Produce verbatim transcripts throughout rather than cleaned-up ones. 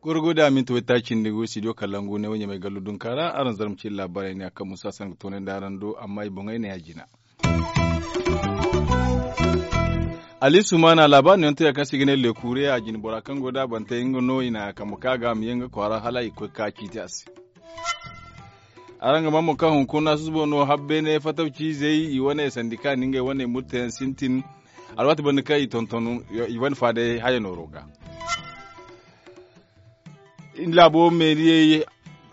Gorgo da minti waytaaci nda go studio kalangu ne wo ɲamay gallu dunka ra araŋ zarma ci laabaarey ne a kaŋ musa sanka toonay nda araŋ do amma i boŋey ne a jina. Ali sumaana laabaari no yaŋ te ya kaŋ se i ga ne lekure a jine bora kaŋ go da bantey nga no i na kambe ka ga a ma ye nga kwaara hala i ga koy ga ka ciiti a se. Araŋ ga maa mo kaŋ hunkuna susubo no habbeene fatawciizey i wane sandika nda ngey wane murteyaŋ sintin alwaati banda kaŋ i tonton i wane faadey haya nooro ga. Laabo meeriyey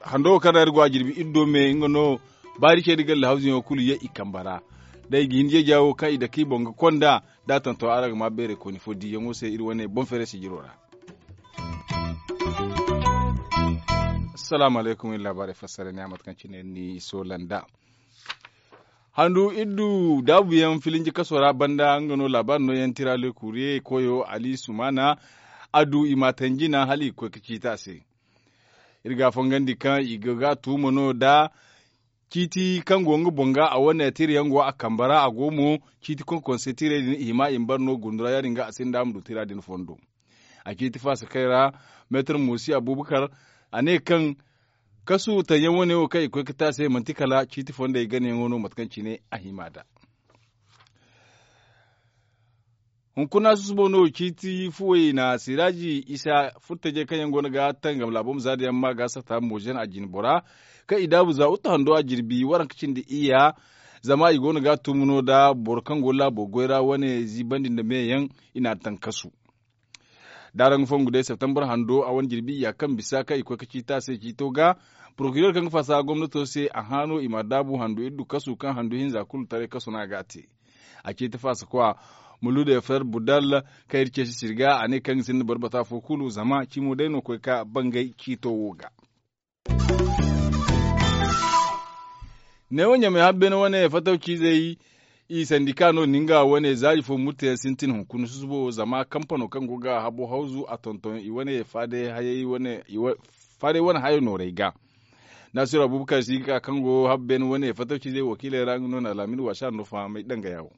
hando wo kaŋ ra iri go a jirbi iri do me nga no baari ce da galla hawzuyaŋo kulu ye i kambe ra. Day ga hin jeeja wo kaŋ i dake i boŋ ga konda da a tonton araŋ ga maa beeray kooni fo diiyaŋo se iri wane boŋ feeray sijiro ra. Assalaamu alaykum iri laabaarey fassara ne a mate kaŋ cine iri n'i soola nd'a. Handu iri du daabuyaŋ filinji kaso ra banda nga no laabaari nooyaŋ tira le kuuriye koyo ali sumaana. A du i ma a tanji naŋ hala i ga koy ga ciiti a se. Iri ga a fongandi kaŋ i ga ga a tuuma no da ciiti kaŋ go nga boŋ ga a wane tirayaŋ go a kambe ra a go mo ciiti konkonse tiray din i hima i ma bare no gundu ra ya- din ga a sinda a ma du tira din fondo. A ciiti faasa kay ra meetar moosi abubakar a ne kaŋ kasu taŋ yaŋ wane wo kaŋ i ga koy ga te a se manti kala ciiti fondey ganayaŋo no mate kaŋ cine a hima nd'a. Hunkuna susubo no ciiti fuwey na siraaji isa furtajey kaŋ yaŋ go no ga tangam laabo ma za da yaŋ ma ga sata moozen a jine bora kaŋ i daabu za wuttu hando a jirbi waranka cindi iyya. Zama i go no ga a tumu no nda boro kaŋ go laabo goy ra wane ziibandi nda meeyaŋ i n'a taŋ kasu. Da araŋ ga fongu day septembre hando a wane jirbi iyya kaŋ bisa kaŋ i koy ga ciiti a se ciito ga porokirer kaŋ ga faasa gomnato se a hã no i ma a daabu handu iri du kasu kaŋ handu hinza kulu taray kasu no a ga a te. A ciiti faasa kwa mulude fer budal kaŋ iri ceesi sirga a ne kaŋ ga sinda boro bata fo kulu zama cimo day no koy ga bangay ciito wo ga. Neewo ɲamay habbeene wane fatawciizey i sandika no na nga wane zaari fo murteyaŋ sintin hunkuna susubo zama kampano kaŋ go ga habo hawzu a tonton i wane faadey wane hayey wane hayey noorey ga. Naasiru abuubakar si ga ka kaŋ go habbeene wane fatawciizey wakiiley ra nga no na alaamin waasi a no fahamay dangaya wo.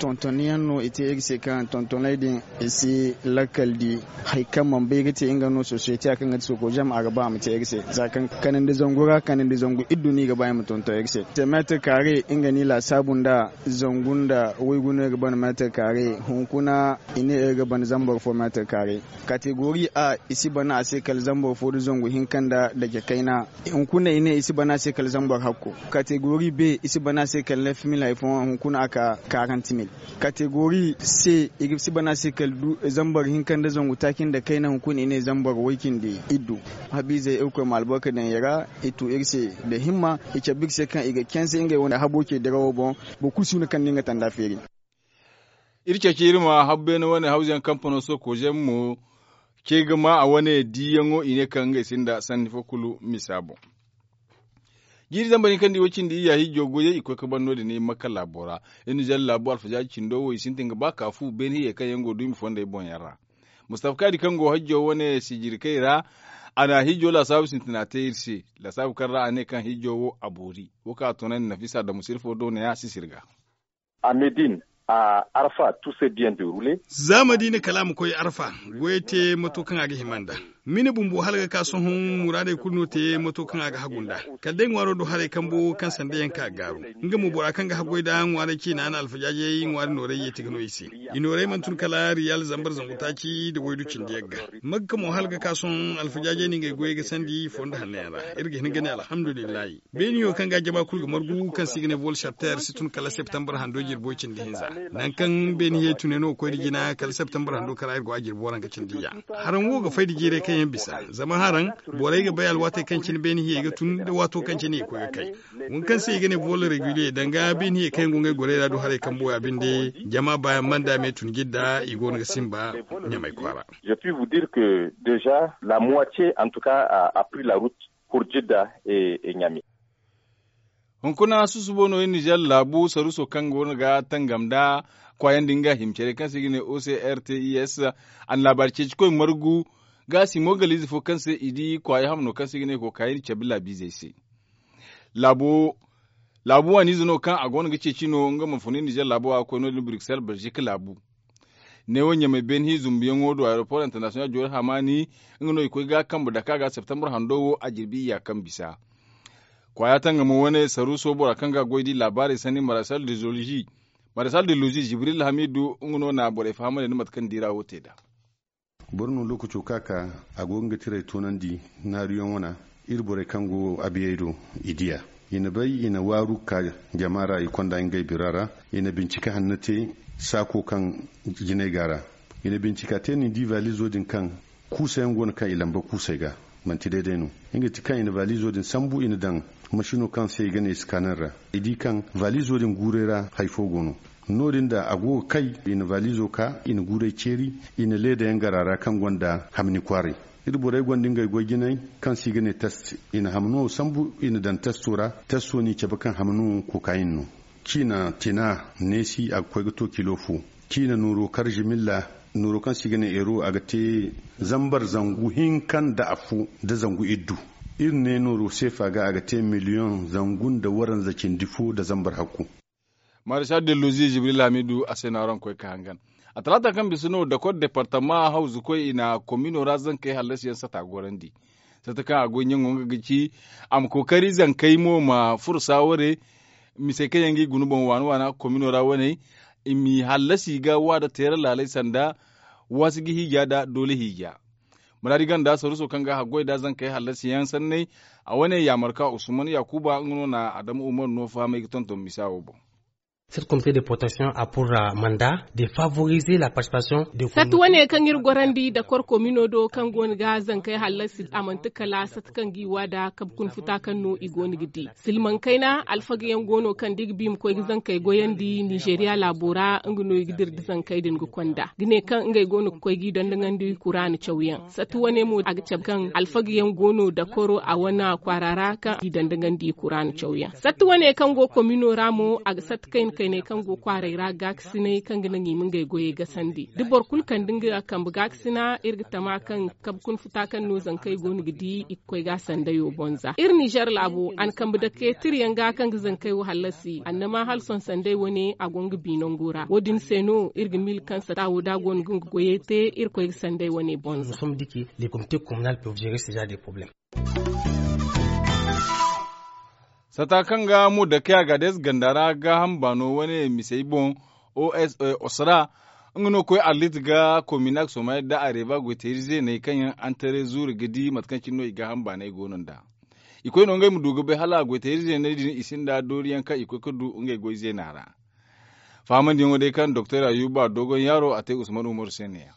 Tontonniyaŋ no i te iri se kaŋ tontonay din i si lakkal di hari kaŋ mana bay ga te nga no sosiyete a kaŋ ga ti soko zam a ga ba a ma te iri se za kaŋ kanandi zangu ra kanandi zangu iddu no i ga ba i ma tonton iri se. Te meetir kaare nga no i laasaabu nda zangu nda waygu no iri ga ban meetir kaare hunkuna i ne iri ga ban zambar fo meetir kaare. Kategori a i si bana a se kala zambar fo nda zangu hinka nda dake kayna. Hunkuna i ne i si bana a se kala zambar hakko. Kategori b i si bana a se kala neef mil hari fooyaŋ hunkuna a ka karant mil. Kategori c i si bana a se kala zambar hinka nda zangu taaci nda kayna hunkuna i ne zambar way cindi iddu. Habiizey irkoy ma albarka daŋ i ra i tu iri se nda himma i cabe iri se kaŋ i ga canse ngey wane habo ce dirawo boŋ. Boro kulu si huna kaŋ nda nga tanda feeri. Iri ceeci iri ma habbeene wane hawzuyaŋ kampano soko zem mo ce ga ma a wane diiyaŋo i ne kaŋ ngey sinda sanni fo kulu misa boŋ. Jiiri zambar hinka nda i way cindi iyya hijjo goyey i koy ga ban no- din i makka laabo ra. Iri na zalla laabu alfajaaji cindo wo i sintin ga ba ka fu beene hiyey kaŋ yaŋ go duumi fondey boŋ yaŋ ra. Mustafa kaadi kaŋ go hajjo wane sijirkey ra a na hijjo laasaabu sintina te iri se. Laasaabu kaŋ ra a ne kaŋ hijjo wo a boori wo kaŋ a toonandi nafisa damu sirfo do ne a sisir ga. A medin a arfa tu se biyan de rule. Za madiina kala a ma koy arfa goyey te mato kaŋ a ga hima nd'a. Mine bumbo hala ga ka sohõ muraadey kulu no te mato kaŋ a ga hagu nd'a. Kala day ŋwaaro do haray kambo kaŋ sanda yaŋ ka gaaru. Nga mo bora kaŋ ga haggoy nd'a ŋwaaray ciina na alfajaajey ŋwaari noorey yeeti ga no i se. I noorey mana tun kala riyal zambar zangu taaci nda waydu cindi yagga. Makka mo hala ga ka sohõ alfajaajey na ngey goyey ga sandi fondo hanno yaŋ ra. Iri ga hin ga ne alhamdulillahi. Beeniyo kaŋ ga jama kulu ga margu kaŋ se i ga ne volsharter si tun kala septembre hando jirbo cindi hinza. Nangu kaŋ beeni hiyey tune no ga koy nda jina kala septembre hando kara iri go a jirbo waranka cindi ya. Haraŋ wo ga fay nda jiirey kaŋ yaŋ bisa zama haraŋ borey ga bay alwaatey kaŋ cine beeni hiyey ga tun nda waato kaŋ cine i ga koy ga kay. Wo kaŋ se i ga ne vol regulier danga beeni hiyey kaŋ yaŋ go ngey gorey ra du haray kambo ya binde. Jama baayaŋ manda me tun jidda i go no ga simba ɲamay kwaara. Je puis vous dire que deja la moitié en tout cas a pris la route pour jidda et ɲame. Hunkuna susubo no iri nizer laabu saruso kaŋ go no ga tangam nda kwaayaŋ din ga hima care kaŋ se i ga ne ocrtis a na laabaari ceeci koy margu. Ga si mo galiize fo kaŋ se i di kwaaya hamno kaŋ se i ga ne kookaayey na cabe laabiizey se. Laabu waaniize no kaŋ a go no ga ceeci no nga ma funu nizer laabu a ga koy no- din bruxelles belgique laabu. Neewo ɲamay beene hi zumbuyaŋo do aeroport international joori hamaani, nga no i koy ga kambe dake a ga septembre hando wo a jirbi iyya kaŋ bisa. Kwaaya tangamo wane saruuso bora kaŋ ga a goy di laabaarey sanni marasal de lozi jibril hamidu nga no na borey fahamandi nda mate kaŋ diira wo te nd'a. Boro no lookaco ka ka a go ga nga tiray toonandi naaruyaŋ wana. Iri borey kaŋ go abiyey do i di a. I na bay i na waaru ka jama ra i konda ngey bira ra. I na bincika hanno te saako kaŋ jinay go a ra. I na bincika te no i di valizo din kaŋ kuusayaŋ go no kaŋ i lamba kuusay ga. Manti day day no. Nga ti kaŋ i na valizo din sambu i na daŋ masino kaŋ se i ga ne scanner ra. I di kaŋ valizo din guuray ra hari fo go no. No- din da a go ga kay i na valizo ka i na guuray ceeri. I na leedayaŋ gar a ra kaŋ gonda hamni kwaaray. Iri borey gonda ngey goy jinay kaŋ se i ga ne test. I na hamno sambu i na daŋ testo ra. Testo n'i cabe kaŋ hamno kokayin no. Ciina tina neesi a ga koy ga to kilo fo. Ciina nooro kar zimilla nooro kaŋ se i ga ne euro a ga te zambar zangu hinka nda afo nda zangu iddu. Iri ne nooro seefa ga a ga te miliyoŋ zangu nda waranza cindi fo nda zambar hakku. Marisa dellozi jibril hamidu a se no araŋ koy ka hangan. A talaata kaŋ bisa no dakor departama hawzukoy i na komino ra zankey hallasiyaŋ sata gorandi. Sata kaŋ a goy ɲaŋo nga ga ci a ma kookari zankey mo ma furo saaware. Misey kaŋ yaŋ ga i guna boŋ waana waana komino ra wane i m'i hallasi ga waada teera laaley sanda waasi ga hiija nda doole hiija. Muraadi ganda saruuso kaŋ ga haggoy nda zankey hallasiyaŋ sanney. A wane yaamar ka usman yaakuba nga no na adama umar no fahamay ga tonton misa wo boŋ. Cette comité de protection a pour manda de favoriser la participation de sat wane kaŋ iri gorandi dakor komino do kaŋ go no ga zankey hallasi a manti kala sat kaŋ ga i wa nda kabe kuna futa kaŋ no i go no ga di silmaŋ kayna alfaga yaŋ go no kaŋ da i ga ba i ma koy ga zankey goyandi nizeeriya laabo ra nga no i ga dira nda zankey din ga konda ga ne kaŋ ngey go no ga koy ga i dondoŋandi kuraana cawyaŋ. Sat wane mo a ga cabe kaŋ alfaga yaŋ go no dakoro a wane kwaara ra kaŋ i dondoŋandi kuraana cawyaŋ sat wane kaŋ go komino ra mo a ga sat kayna kayney kaŋ go kwaaray ra gaakasinay kaŋ ga naŋ i ma ngey goyey gasandi da boro kulu kande nga kambe gaakasina iri ga tama kaŋ kabe kuna futa kaŋ no zankey go no ga di i ga koy ga a sandayo boŋ za iri nizer laabo a na kambe dake tira yaŋ ga kaŋ ga zankey wo hallasi annama hala sohõ sanday wane a go nga bi nango ra wo- din se no iri ga miila kaŋ sata wo da a go no ga nga goyey te iri koy ga sanday wane boŋ za. Sata kaŋ ga mo dake a ga day ze ganda ra gaaham baano wane misey boŋ osra nga no ga koy arlit ga kominak somay nda areba goytayri zeeney kaŋ yaŋ antaray zuuri ga di mate kaŋ cine no i gaaham baanay go no nd'a. I koy no ngey ma du ga bay hala goytayri zeeney din i sinda dooriyaŋ kaŋ i koy ga du ngey goy zeena ra. Fahamandiyaŋo day kaŋ doktor ayuba dogon yaaro a te usman umaru se ne ya.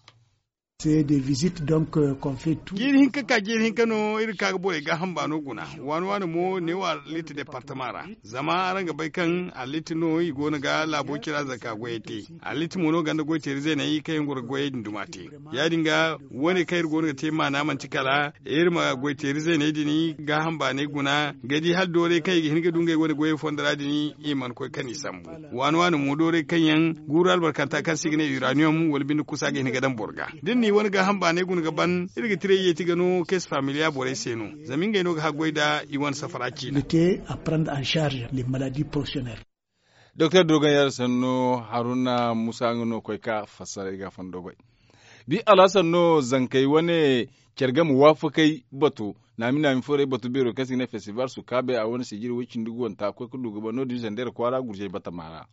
Jiiri hinka ka jiiri hinka no iri ga ka ga borey gaaham baano guna. Waani waani mo neewo arlit departama ra. Zama araŋ ga bay kaŋ arlit no i go no ga laabo cira zanka goyey te. Arlit mo no ganda goyteeri zeeney kaŋ yaŋ goro ga goyey din duma te. Ya- din ga wane kaŋ iri go no ga te maana manti kala iri ma goyteeri zeeney din gaaham baanay guna ga di hala doorey kaŋ i ga hin ga du ngey wane goyey fondo ra din i mana koy kaŋ i sambu. Waani waani mo doorey kaŋ yaŋ guuru albarkanta kaŋ se i ga ne uranium wala binde kusa ga hin ga daŋ boro ga da ni wane gaaham baanay guna ga ban iri ga tira i yeeti ga no keesi familiya borey se no. Zama ngey no ga haggoy nda i wane safara ciina. Doktor dogon yaaro sanno haruna musa nga no ga koy ka fassara i ga a fondo goy. Bi alhasan no zankey wane care game waafakey bato naami naami forey bato beero kaŋ se i ga ne festival sukaabey a wane sijiri way-cindi guwanta koy ga du ga ban no- din zandeer kwaara gurzey batama ra.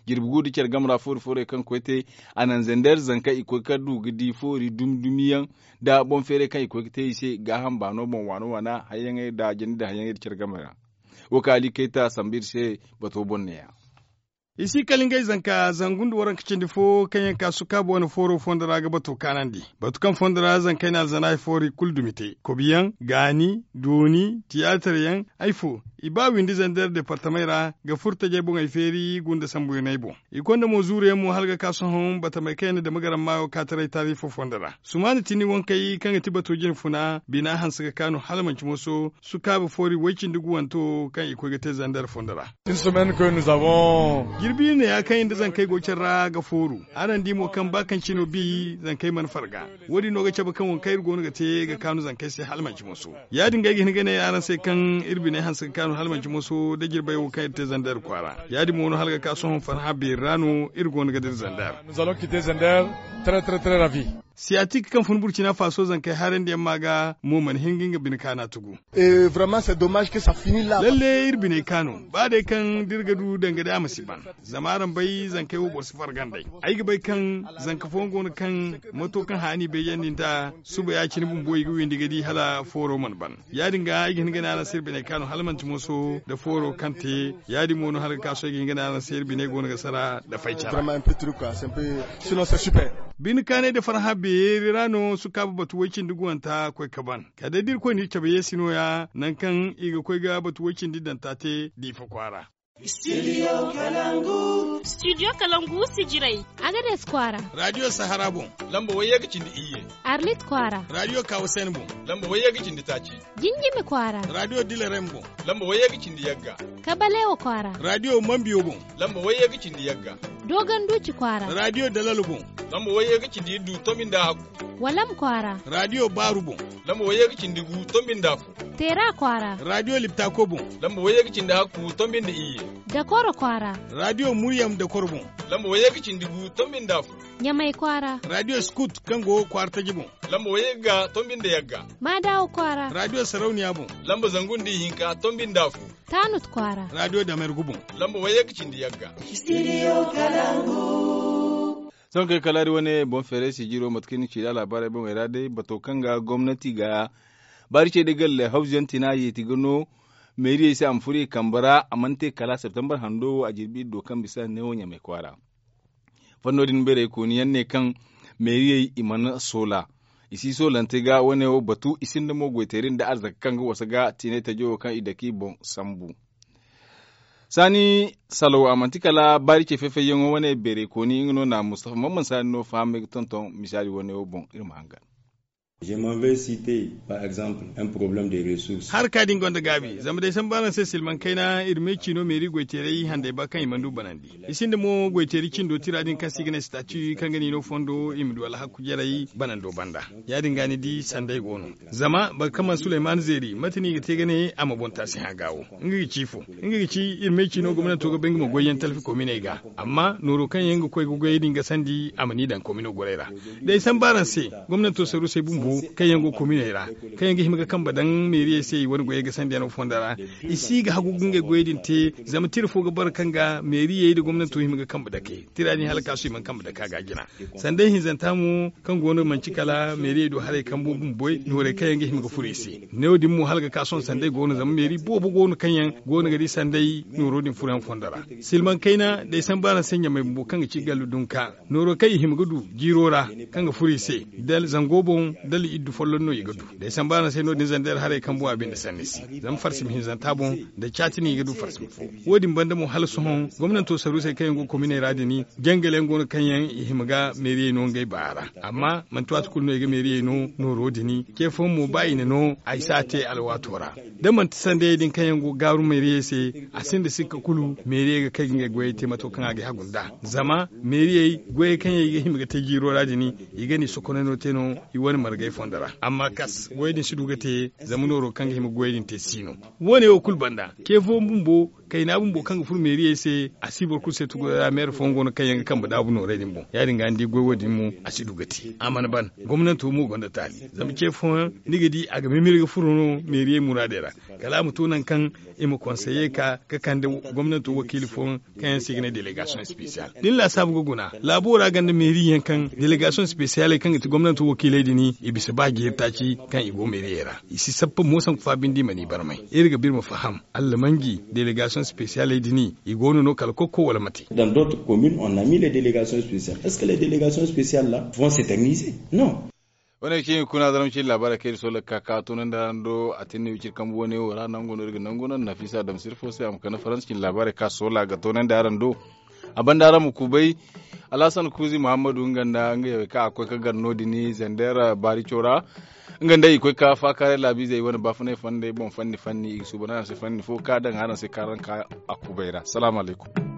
Jirbi gu nda care game ra foori forey kaŋ koy te a naŋ zandeer zanka i koy ga du ga di foori dumi dumi yaŋ nda boŋ feeray kaŋ i koy ga te i se gaaham baano boŋ waana waana hayyaŋey nda jandi nda hayyaŋey nda care game ra. Wo kaŋ ali kayta sambu iri se bato boŋ ne- ya. I si kala ngey zanka zangu nda waranka cindi fo kaŋ yaŋ ka sukaabo wane fooro fondo ra ga bato kaanandi. Batu kaŋ fondo ra zankey na alzana hari foori kulu dumi te kobiyaŋ, gaani, dooni, tiyaatar yaŋ, hari fo i ba windi zandeer departamey ra ga furo tajey boŋey feeri gunda sambu yaŋ no ay boŋ. I konda mo zuuru yaŋ mo hala ga ka sohõ batamey kaŋ yaŋ na dama garam maayo ka taray taari fo fondo ra. Sumaana tini wankey kaŋ ga ti bato jine funa bina hanse ga kaanu hala manci moso sukaabu foori way-cindi guwanto kaŋ i koy ga te zandeer fondo ra. Jirbi ne ya kaŋ iri nda zankey go care ra ga fooru. Araŋ di mo kaŋ ba kaŋ cino bi zankey mana farga. Wo- din no ga cabe kaŋ waŋ kaŋ iri go no ga te ga kaanu zankey se hala manci moso. Ya- din ga ay ga hin ga ne araŋ se kaŋ iri biney hanse ga kaanu hala manci moso nda jirbey wo kaŋ iri te zander kwaara. Ya- din mo no hala ga ka sohõ farhã beeri ra no iri go no ga dira zander. Siyatik kaŋ fun burcina faso zankey harandiyaŋ ma ga mo mana hin ga nga bine kaana tugu. Lalle iri biney kaano ba day kaŋ da iri ga du danga day a ma si ban. Zama araŋ bay zankey wo boro si fargandey. Ay ga bay kaŋ zanka fooyaŋ go no kaŋ mato kaŋ haani bay yaŋ din da suba ya- cine bumbo i ga windi ga di hala fooro mana ban. Ya- din ga ay ga hin ga ne araŋ se iri biney kaano hala manti moso nda fooro kaŋ te. Ya- din mo no hala ga ka sohõ ay ga hin ga ne araŋ se iri biney go no ga sara nda fay cara. Bine kaanay nda farhã beeri ra no sukaaba batu way- cindi guwanta koy ka ban. Kala day da irkoy n'iri cabe yeesi no- ya nangu kaŋ i ga koy ga batu way- cindi danta te diifa kwaara. Studio kalangu sijirey, agades kwaara. Radiyo sahara boŋ, lamba wayye ga cindi iyye. Arlit kwaara, radiyo kawasen boŋ, lamba wayye ga cindi taaci. Jinjimi kwaara, radiyo dilarem boŋ, lamba wayye ga cindi yagga. Kabalewa kwaara, radiyo mambiyo boŋ, lamba wayye ga cindi yagga. Dogon duuci kwaara, radiyo dalalo boŋ, lamba wayye ga cindi iddu tombi nda hakku. Walam kwaara, radiyo baaru boŋ, lamba wayye ga cindi gu tombi nda fo. Teera kwaara, radiyo liptako boŋ, lamba wayye ga cindi hakku tombi nda iyye. Dakoro kwaara, radiyo muryam dakoro boŋ, lamba wayye ga cindi gu tombi nda fo. Ɲamay kwaara, radiyo skut kaŋ go kwaara taji boŋ, lamba wayye ga tombi nda yagga. Maadawa kwaara, radiyo sarauniya boŋ, lamba zangu nda ihinka tombi nda fo. Taanut kwaara, radiyo damergu boŋ, lamba wayye ga cindi yagga. Sohõ kay kala iri wane boŋ feeray sijiro mate kaŋ iri na ci da alaabaarey boŋey ra day bato kaŋ ga gomnati ga baari ce day galle hawzuyaŋ tina yeeti ga no meeriyey se a ma furo i kambe ra a mana te kala septembar hando wo a jirbi iri do kaŋ bisa neewo ɲamay kwaara. Fanno din beerey kooni yaŋ ne kaŋ meeriyey i mana soola i si soolante ga wane wo batu i sinda mo goyteeri nda arzaka kaŋ ga wasa ga tiinay tajo wo kaŋ i dake i boŋ sambu. Saani salaw a manti kala baari ce fay-fayyaŋo wane beerey kooni nga no na mustafa mamman saani no fahamay ga tonton misaali wane wo boŋ iri ma hangan. Harka din gonda gaabi zama day sambu araŋ se silmaŋ kayna iri me ciino meeri goyteeray handay ba kaŋ i mana du banandi. I sinda mo goyteeri cindo tira din kaŋ se i ga ne stati kaŋ ga ni no fondo i ma du alhakku jarey banando banda. Ya- din ga ni di sanday go no. Zama boro kaŋ mana suleyman zeeri mate no i ga te ga ne a ma boŋ taasi hã ga wo? Nga ga ci ifo? Nga ga ci iri me ciino gomnanto ga bay nga ma goy yaŋ talfi kominey ga. Amma nooro kaŋ yaŋ ga koy ga goyey din gasandi a ma ni daŋ komino gorey ra. Day sambu araŋ se, gomnanto sarusey bumbo kaŋ yaŋ go kominey ra, kaŋ yaŋ ga hima ga kambe daŋ meeriyey se i wane goyey gasandi yaŋo fondo ra, i si ga hagu ga ngey goyey din te. Zama tira fo ga bara kaŋ ga meeriyey nda gomnanto hima ga kambe dake tira din hala kaasu i mana kambe dake a ga jina. Sanday hinzanta mo kaŋ go no manci kala meeriyey do haray kambo bumboy noorey kaŋ yaŋ ga hima ga furo i se. Neewo din mo hala ga ka sohõ sanday go no zama meeri boobo go no kaŋ yaŋ go no ga di sanday nooro din furoyaŋ fondo ra. Silmaŋ kayna day sambu araŋ se ɲamay bumbo kaŋ ga ci gallu dunka nooro kaŋ i hima ga du jiiro ra, kaŋ ga furo i se da zango boŋ da li iddu folloŋ no i ga du. Day sambu araŋ se no- din zander haray kambo a binde sanni se. Zama farsima hinzanta boŋ da caati no i ga du farsima fo. Wo- din banda mo hala sohõ gomnanto sarusey kaŋ yaŋ go kominey ra din jangaleyaŋ go no kaŋ yaŋ i hima ga meeriyey no ngey baara. Amma manti waati kulu no i ga meeriyey no nooro din. Ce fooyaŋ mo ba i na no ay si a te alwaato ra. Da manti sandayey din kaŋ yaŋ go gaaru meeriyey se, a sinda sikka kulu meeriyey ga kay ga ngey goyey te mato kaŋ a ga hagu nd'a. Zama meeriyey goyey kaŋ yaŋ i ga hima ga te jiiro ra din, i ga ni sokonay no te no i wane margey fondo ra. Amma kas goyey din si du ga te. Zama nooro kaŋ ga hima ga goyey din te si no. Wo- ne wo kulu banda, ce fooyaŋ bumbo kayna bumbo kaŋ ga furo meeriyey se, a si boro kulu se tugu ra meere fooyaŋ go no kaŋ yaŋ ga kambe daabu noorey din boŋ. Ya- din ga ni di goy wo- din mo a si du ga te a mana ban. Gomnanto mo gonda taali. Zama ce fooyaŋ ni ga di a ga mimiri ga furo no meeriyey muraadey ra, kala a ma to nangu kaŋ i ma konseye ka ga kande gomnanto wakiili fooyaŋ kaŋ yaŋ se i ga ne delegasiyoŋ spesiyal. Da ni laasaabu ga guna laabo ra gonda meeri yaŋ kaŋ delegasiyoŋ spesiyaley kaŋ ga ti gomnanto wakiiley din, i bisa ba jeeri taaci kaŋ i go meeriyey ra. I si sappa mo sanku fa binde i mana i barmay. Iri ga ba iri ma faham, allamanji delegasiyoŋ spesiyaley din i go no no kala kokko wala mate? Dans d'autres communes on a mis les délégations spéciales, est ce que les délégations spéciales là vont s'éterniser? Non. Wane ga ci iri kuna zaram cine laabaarey kaŋ iri soola ga ka ka toonandi araŋ do a tinni wiciri kambu wane wo ra nango no iri ga nangu no nafisa damsir fo se a ma kande faransa cine laabaarey kaŋ a soola ga toonandi araŋ do. A banda araŋ ma kubay alhasan kuuzi muhammadu nga nda nga yawey kaŋ a koy ga gar no- din zander baarico ra. Nga nda i koy ga faakaaray laabiizey wane baafunay fandey boŋ fanni fanni i ga suuban araŋ se fanni fo kaŋ a daŋ araŋ se kaŋ araŋ ka a kubay ra salaamu alaykum.